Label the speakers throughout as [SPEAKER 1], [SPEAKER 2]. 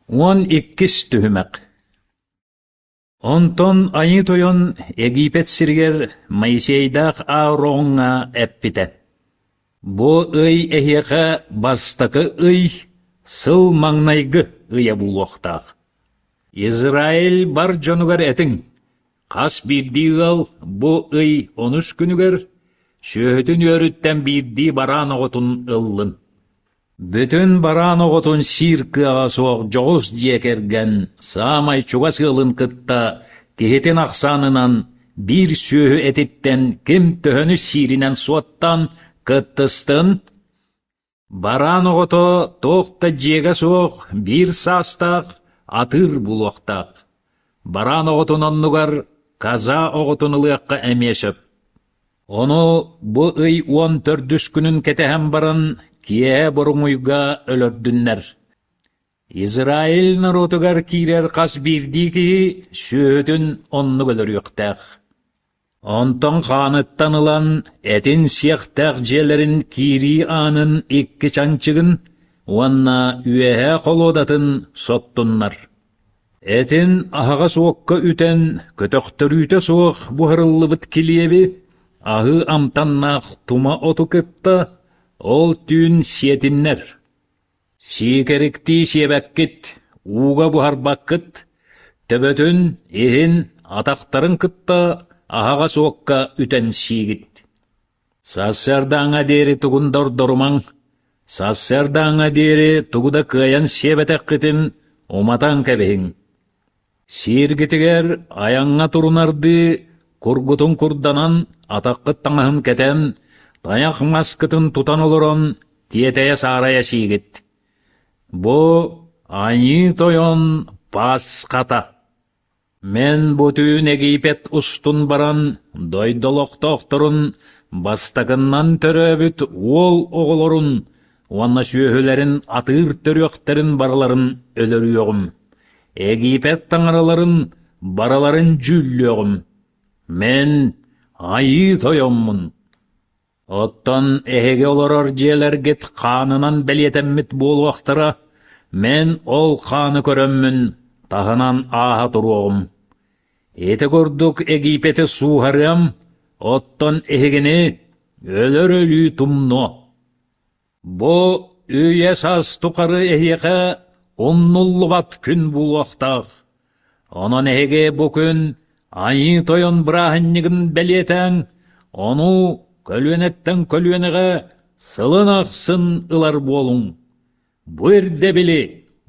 [SPEAKER 1] 12 түһүмэх Онтон Айыы Тойон Египет сиригэр Моисейдаах Аароҥҥа эппитэ: «Бу ый эһиэхэ бастакы ый, сыл маҥнайгы ыйа буолуохтаах. Израиль бар дьонугар этиҥ: хас биирдии ыал бу ый онус күнүгэр сүөһүтүн үөрүттэн биирдии бараан оҕотун ыллын. Бүтүн бараан оҕотун сиир кыаҕа суох дьоҕус дьиэ кэргэн саамай чугас ыалын кытта киһитин ахсаанынан биир сүөһү этиттэн ким төһөнү сииринэн суоттаан кыттыстын. Бараан оҕото туох да дьиэгэ суох биир саастаах атыыр булуохтаах. Бараан оҕотун оннугар коза оҕотун ылыахха эмиэ сөп. Ону бу ый 14-үс күнүн кэтэһэн баран киэһэ боруҥуйга өлөрдүннэр. Израиль норуотугар киирэр хас биирдии киһи сүөһүтүн оннук өлөрүөхтээх. Онтон хааныттан ылан этин сиэхтээх дьиэлэрин киирии аанын икки чанчыгын уонна үөһээ холуодатын соттуннар. Этин аһаҕас уокка үтэн, көтөхтөрүүтэ суох буһарыллыбыт килиэби, аһыы амтаннаах тума оту кытта ол түүн сиэтиннэр. Сиикэриктии сиэбэккит, ууга буһарбаккыт, төбөтүн, иһин, атахтарын кытта аһаҕас уокка үтэн сиигит. Сарсыардааҥҥа диэри тугун да ордорумаҥ, сарсыардааҥҥа диэри тугу да кыайан сиэбэтэххитин уматан кэбиһиҥ. Сииргитигэр айаҥҥа турунардыы кургутун курданан, атаххыт таҥаһын кэтэн, тайах маскытын тутан олорон тиэтэйэ-саарайа сиигит. Бу Айыы Тойон Пасхата. Мин бу түүн Египет устун баран, дойду олохтоохторун бастакыннан төрөөбүт уол оҕолорун уонна сүөһүлэрин атыыр төрүөхтэрин барыларын өлөрүөҕүм, Египет таҥараларын барыларын дьүүллүөҕүм. Мин Айыы Тойоммун. Оттон эһиги олорор дьиэлэргит хаанынан бэлиэтэммит буолуохтара, мин ол хааны көрөммүн таһынан ааһа туруоҕум. Ити курдук Египети сууһарыам, оттон эһигини өлөр өлүү тумнуо. Бу үйэ-саас тухары эһиэхэ умнуллубат күн буолуохтаах. Онон эһиги бу күн Айыы Тойон бырааһынньыгын бэлиэтээҥ, ону көлүөнэттэн көлүөнэҕэ сылын ахсын ылар буолуҥ. Бу ирдэбили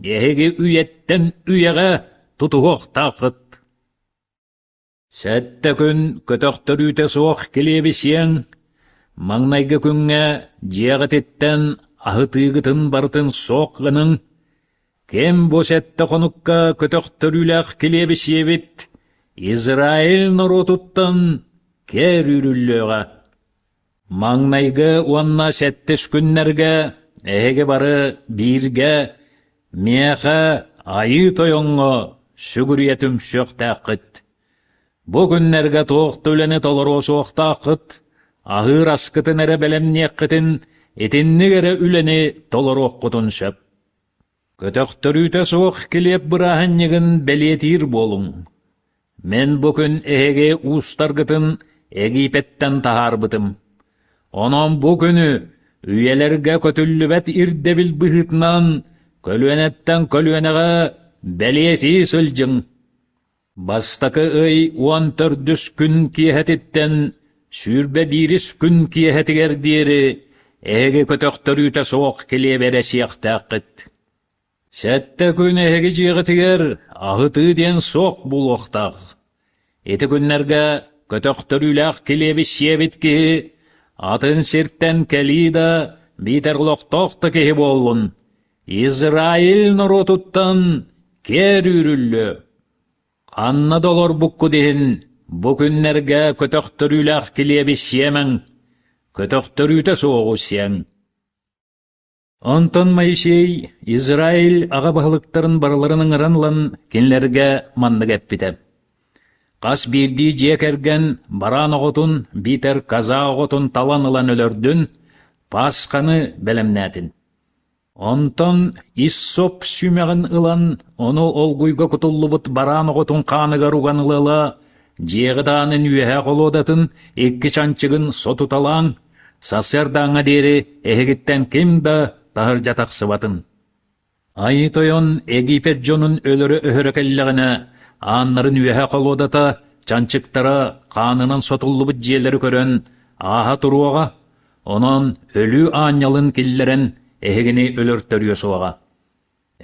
[SPEAKER 1] эһиги үйэттэн үйэҕэ тутуһуохтааххыт. Сэттэ күн көтөхтөрүүтэ суох килиэби сиэҥ, маҥнайгы күҥҥэ дьиэҕититтэн аһытыыгытын барытын суох гыныҥ, ким бу сэттэ хонукка көтөхтөрүүлээх килиэби сиэбит, Израиль норуотуттан кэр үүрүллүөҕэ. Маҥнайгы уонна сэттис күннэргэ эһиги бары бииргэ миэхэ Айыы Тойоҥҥо сүгүрүйэ түмсүөхтээххит. Бу күннэргэ туох да үлэни толоруо суохтааххыт, аһыыр аскытын эрэ бэлэмниэххитин, итинник эрэ үлэни толоруоххутун сөп. Көтөхтөрүүтэ суох килиэп бырааһынньыгын бэлиэтиир буолуҥ. Мин бу күн эһиги уустаргытын Египеттэн таһаарбытым. Онон бу күнү үйэлэргэ көтүллүбэт ирдэбил быһыытынан көлүөнэттэн көлүөнэҕэ бэлиэтии сылдьыҥ. Бастакы ый 14-үс күн киэһэтиттэн 21-ис күн киэһэтигэр диэри эһиги көтөхтөрүүтэ суох килиэби эрэ сиэхтээххит. Сэттэ күн эһиги дьиэҕитигэр аһытыы диэн суох буолуохтаах. Ити күннэргэ көтөхтөрүүлээх килиэби сиэбит киһи атын сиртэн кэлии да биитэр олохтоох да киһи буоллун, Израиль норуотуттан киэр үүрүллүө. Ханна да олорбуккут иһин бу күннэргэ көтөхтөрүүлээх килиэби сиэмэҥ, көтөхтөрүүтэ суоҕу сиэҥ. Онтон Моисей Израиль аҕа баһылыктарын барыларын ыҥыран ылан кинилэргэ маннык эппитэ: «Хас биирдии дьиэ кэргэн бараан оҕотун биитэр коза оҕотун талан ылан өлөрдүн, Пасханы бэлэмнээтин. Онтон иссоп сүмэҕин ылан, ону олгуйга кутуллубут бараан оҕотун хааныгар уган ыла-ыла, дьиэҕит аанын үөһээ холуодатын икки чанчыгын сотуталааҥ, сарсыардааҥҥа диэри эһигиттэн ким да таһырдьа тахсыбатын. Айыы Тойон Египет дьонун өлөрө-өһөрө кэллэҕинэ, ааннарын үөһэ холуодата, чанчыктара хаанынан сотуллубут дьиэлэри көрөн ааһа туруоҕа, онон өлүү аанньалын киллэрэн эһигини өлөртөрүө суоҕа.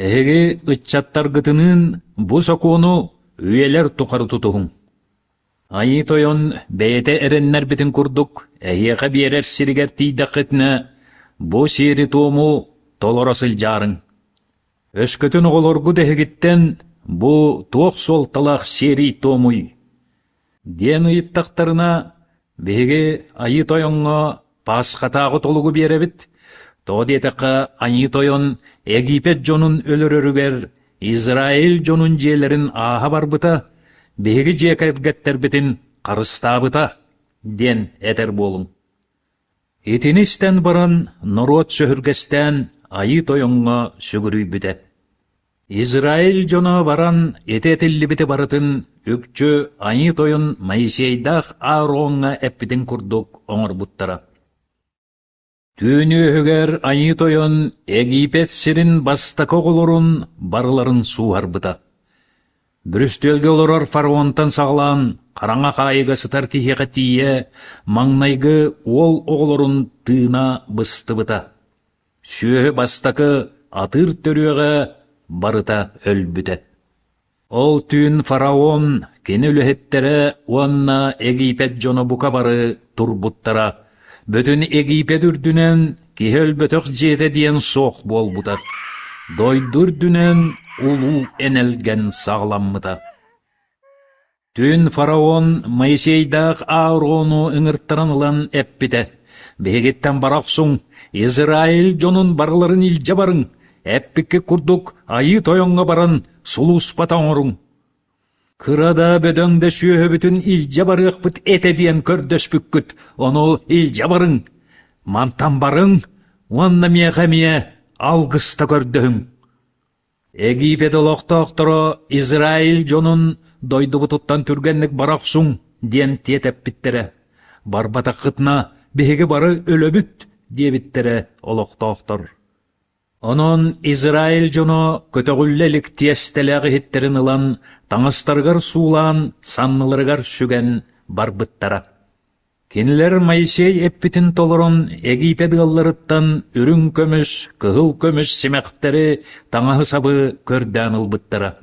[SPEAKER 1] Эһиги ыччаттаргытыныын бу сокуону үйэлэр тухары тутуһуҥ. Айыы Тойон бэйэтэ эрэннэрбитин курдук эһиэхэ биэрэр сиригэр тиийдэххитинэ, бу сиэри-туому толоро сылдьаарыҥ. Өскөтүн оҕолоргут эһигиттэн бу туох суолталаах сиэрий-туомуй диэн ыйыттахтарына, биһиги Айыы Тойоҥҥо Пасхатааҕы толугу биэрэбит, тоҕо диэтэххэ Айыы Тойон Египет дьонун өлөрөрүгэр Израиль дьонун дьиэлэрин ааһа барбыта, биһиги дьиэ кэргэттэрбитин харыстаабыта диэн этэр буолуҥ. Итини истэн баран норуот сөһүргэстээн Айыы Тойоҥҥо сүгүрүйбүтэ. Израиль дьоно баран ити этиллибити барытын үкчү Айыы Тойон Моисейдаах Аароҥҥа эппитин курдук оҥорбуттара. Түүн үөһүгэр Айыы Тойон Египет сирин бастакы оҕолорун барыларын сууһарбыта. Бүрүстүөлгэ олорор фараонтан саҕалаан хараҥа хаайыга сытар киһиэхэ тиийэ маҥнайгы уол оҕолорун тыына быстыбыта. Сүөһү бастакы атыыр төрүөҕэ барыта өлбүтэ. Ол түүн фараон, кини үлэһиттэрэ уонна Египет дьоно бука бары турбуттара. Бүтүн Египет үрдүнэн киһи өлбөтөх дьиэтэ диэн суох буолбута. Дойду үрдүнэн улуу энэлгэн саҕаламмыта. Түүн фараон Моисейдаах Аарону ыҥыртаран ылан эппитэ: «Биһигиттэн бара охсуҥ, Израиль дьонун барыларын илдьэ барыҥ, эппиккит курдук Айыы Тойоҥҥо баран сулууспата оҥоруҥ. Кыра да бөдөҥ да сүөһүбүтүн илдьэ барыахпыт этэ диэн көрдөспүккүт, ону илдьэ барыҥ. Мантан барыҥ уонна миэхэ эмиэ алгыста көрдөһүҥ. Египет олохтоохторо Израиль дьонун дойдубутуттан түргэнник бара охсуҥ диэн тиэтэппиттэрэ. Барбатаххытына биһиги бары өлөбүт диэбиттэрэ олохтоохтор. Онон Израиль дьоно көтөҕүллэ илик тиэстэлээх иһиттэрин ылан таҥастарыгар суулаан санныларыгар сүгэн барбыттара. Кинилэр Моисей эппитин толорон Египет ыалларыттан үрүҥ көмүс, кыһыл көмүс симэхтэри, таҥаһы-сабы көрдөөн ылбыттара.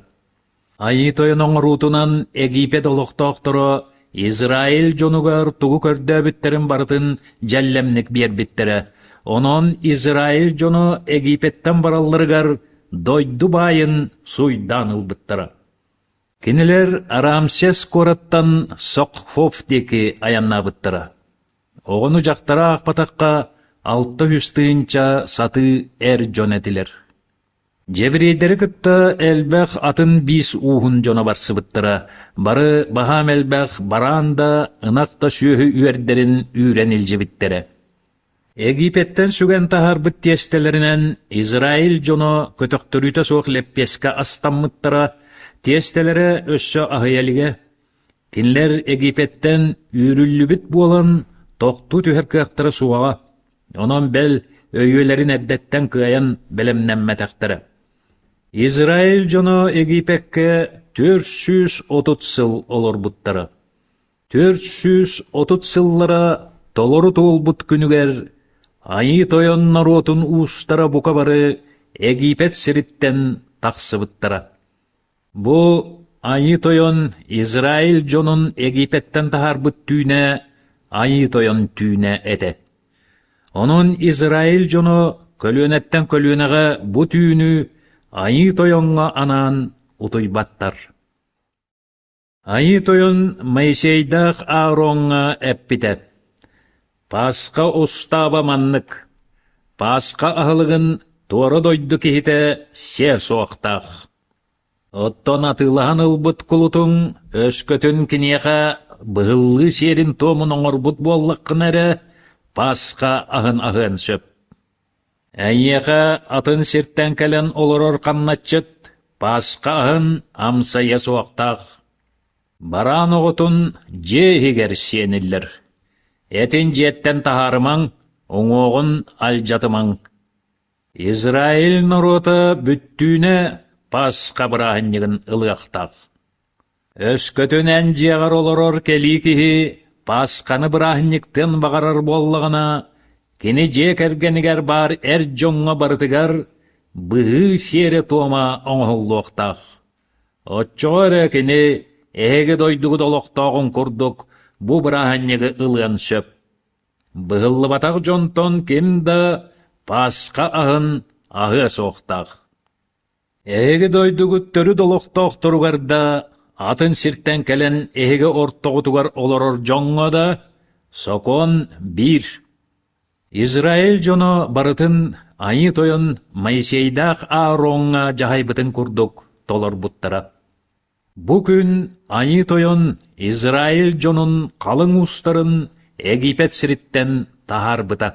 [SPEAKER 1] Айыы Тойон оҥоруутунан Египет олохтоохторо Израиль дьонугар тугу көрдөөбүттэрин барытын дьэллэмник биэрбиттэрэ. Онон Израиль дьоно Египеттэн баралларыгар дойду баайын суйдаан ылбыттара. Кинилэр Рамсес куораттан Сокхов диэки айаннаабыттара. Оҕону-дьахтары аахпатахха, 600 тыһыынча сатыы эр дьон этилэр. Дьэбириэйдэри кытта элбэх атын биис ууһун дьоно барсыбыттара, бары баһаам элбэх бараан да, ынах да сүөһү үөрдэрин үүрэн илдьибиттэрэ. Египеттэн сүгэн таһаарбыт тиэстэлэринэн Израиль дьоно көтөхтөрүүтэ суох лэппиэскэ астаммыттара, тиэстэлэрэ өссө аһыйа илигэ. Кинилэр Египеттэн үүрүллүбүт буолан тохтуу түһэр кыахтара суоҕа, онон бэл өйүөлэрин эрдэттэн кыайан бэлэмнэммэтэхтэрэ. Израиль дьоно Египеккэ 430 сыл олорбуттара. 430 сыллара толору туолбут күнүгэр Айыы Тойон норуотун уустара бука бары Египет сириттэн тахсыбыттара. Бу Айыы Тойон Израиль дьонун Египеттэн таһаарбыт түүнэ Айыы Тойон түүнэ этэ. Онон Израиль дьоно көлүөнэттэн көлүөнэҕэ бу түүнү Айыы Тойоҥҥо анаан утуйбаттар. Айыы Тойон Моисейдаах Аароҥҥа эппитэ: «Пасха устааба маннык: Пасха аһылыгын туора дойду киһитэ сиэ суохтаах. Оттон атыылаһан ылбыт кулутуҥ өскөтүн киниэхэ быһыллыы сиэрин-туомун оҥорбут буоллаххына эрэ, Пасха аһын аһыан сөп. Эйиэхэ атын сиртэн кэлэн олорор хамначчыт Пасха аһын амсайа суохтаах. Бараан оҕотун дьиэ иһигэр сиэниллэр. Этин дьиэттэн таһаарымаҥ, уҥуоҕун алдьатымаҥ. Израиль норуота бүттүүнэ Пасха бырааһынньыгын ылыахтаах. Өскөтүн эн дьиэҕэр олорор кэлии киһи Пасханы бырааһынньыктыан баҕарар буоллаҕына, кини дьиэ кэргэнигэр баар эр дьоҥҥо барытыгар быһыы сиэрэ-туома оҥоһуллуохтаах. Оччоҕо эрэ кини эһиги дойдугут олохтооҕун курдук бу бырааһынньыгы ылыан сөп. Быһыллыбатах дьонтон ким да Пасха аһын аһыа суохтаах. Эһиги дойдугут төрүт олохтоохторугар да, атын сиртэн кэлэн эһиги ортоҕутугар олорор дьоҥҥо да сокуон биир. Израиль дьоно барытын Айыы Тойон Моисейдаах Аароҥҥа дьаһайбытын курдук толорбуттара. Бу күн Айыы Тойон Израиль дьонун халыҥ уустарын Египет сириттэн таһаарбыта.